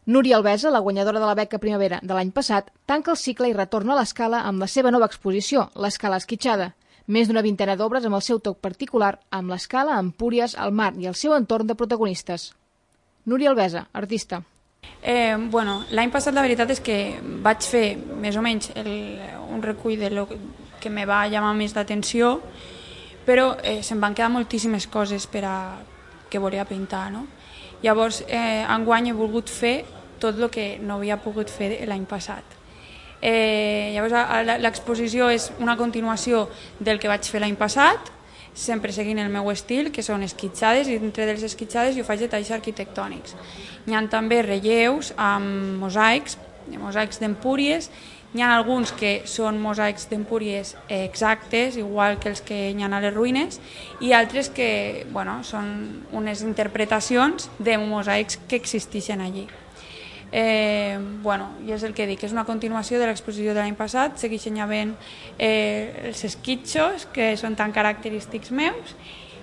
Núria Albesa, la guanyadora de la beca Primavera de l'any passat, tanca el cicle i retorna a l'Escala amb la seva nova exposició, l'Escala Esquitxada. Més d'una vintena d'obres amb el seu toc particular, amb l'Escala, Empúries, el mar i el seu entorn de protagonistes. Núria Albesa, artista. L'any passat la veritat és que vaig fer més o menys un recull de lo que me va llamar més l'atenció, però se'm van quedar moltíssimes coses que volia pintar, no? Llavors, enguany he volgut fer tot el que no havia pogut fer l'any passat. Llavors, l'exposició és una continuació del que vaig fer l'any passat, sempre seguint el meu estil, que són esquitxades, i dintre de les esquitxades jo faig detalls arquitectònics. Hi ha també relleus amb mosaics d'Empúries. Hi ha alguns que són mosaics d'Empúries exactes, igual que els que hi ha a les ruïnes, i altres que són unes interpretacions de mosaics que existeixen allí. I és el que dic, és una continuació de l'exposició de l'any passat, segueixen havent els esquitxos, que són tan característics meus,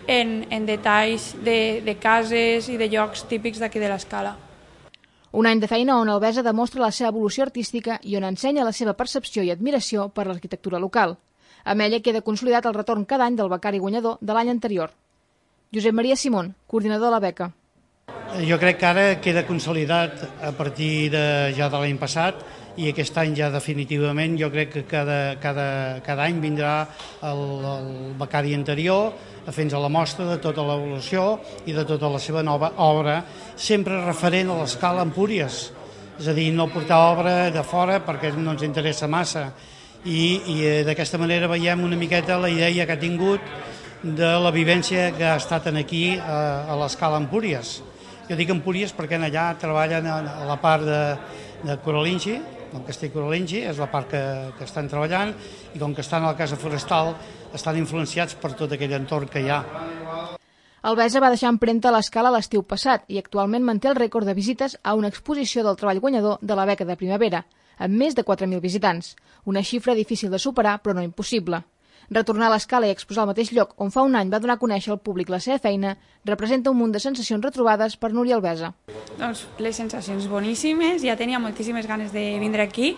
en detalls de cases i de llocs típics d'aquí de l'Escala. Un any de feina on Albesa demostra la seva evolució artística i on ensenya la seva percepció i admiració per l'arquitectura local. Amb ella queda consolidat el retorn cada any del becari guanyador de l'any anterior. Josep Maria Simón, coordinador de la beca. Jo crec que ara queda consolidat a partir ja de l'any passat i aquest any ja definitivament jo crec que cada any vindrà el becari anterior a fer-nos la mostra de tota l'evolució i de tota la seva nova obra, sempre referent a l'Escala Empúries, és a dir, no portar obra de fora perquè no ens interessa massa i d'aquesta manera veiem una miqueta la idea que ha tingut de la vivència que ha estat aquí a l'Escala Empúries. Jo dic Empúries perquè allà treballen a la part de Coralingi, el castell Coralingi, és la part que estan treballant, i com que estan a la casa forestal estan influenciats per tot aquell entorn que hi ha. Albesa va deixar empremta a l'Escala l'estiu passat i actualment manté el rècord de visites a una exposició del treball guanyador de la beca de Primavera, amb més de 4.000 visitants, una xifra difícil de superar però no impossible. Retornar a l'Escala i exposar al mateix lloc on fa un any va donar a conèixer al públic la seva feina representa un munt de sensacions retrobades per Núria Albesa. Doncs les sensacions boníssimes, ja tenia moltíssimes ganes de vindre aquí,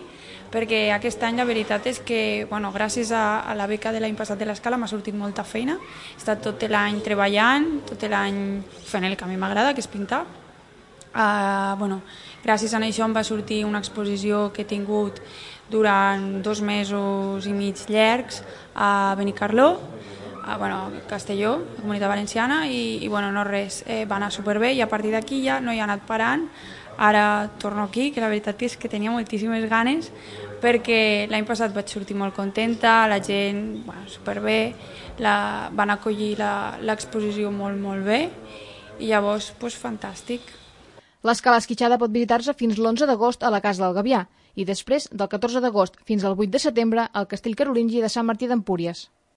perquè aquest any la veritat és que, gràcies a la beca de l'any passat de l'Escala m'ha sortit molta feina. He estat tot l'any treballant, tot l'any fent el que a mi m'agrada, que és pintar. Gràcies a això em va sortir una exposició que he tingut durant 2 mesos i mig llargs a Benicarló, a Castelló, a Comunitat Valenciana, i no res, va anar superbé i a partir d'aquí ja no he anat parant. Ara torno aquí, que la veritat és que tenia moltíssimes ganes perquè l'any passat vaig sortir molt contenta, la gent superbé, van acollir l'exposició molt bé i llavors fantàstic. L'Escala Esquitxada pot visitar-se fins l'11 d'agost a la Casa del Gavià i després del 14 d'agost fins al 8 de setembre al Castell Carolingi de Sant Martí d'Empúries.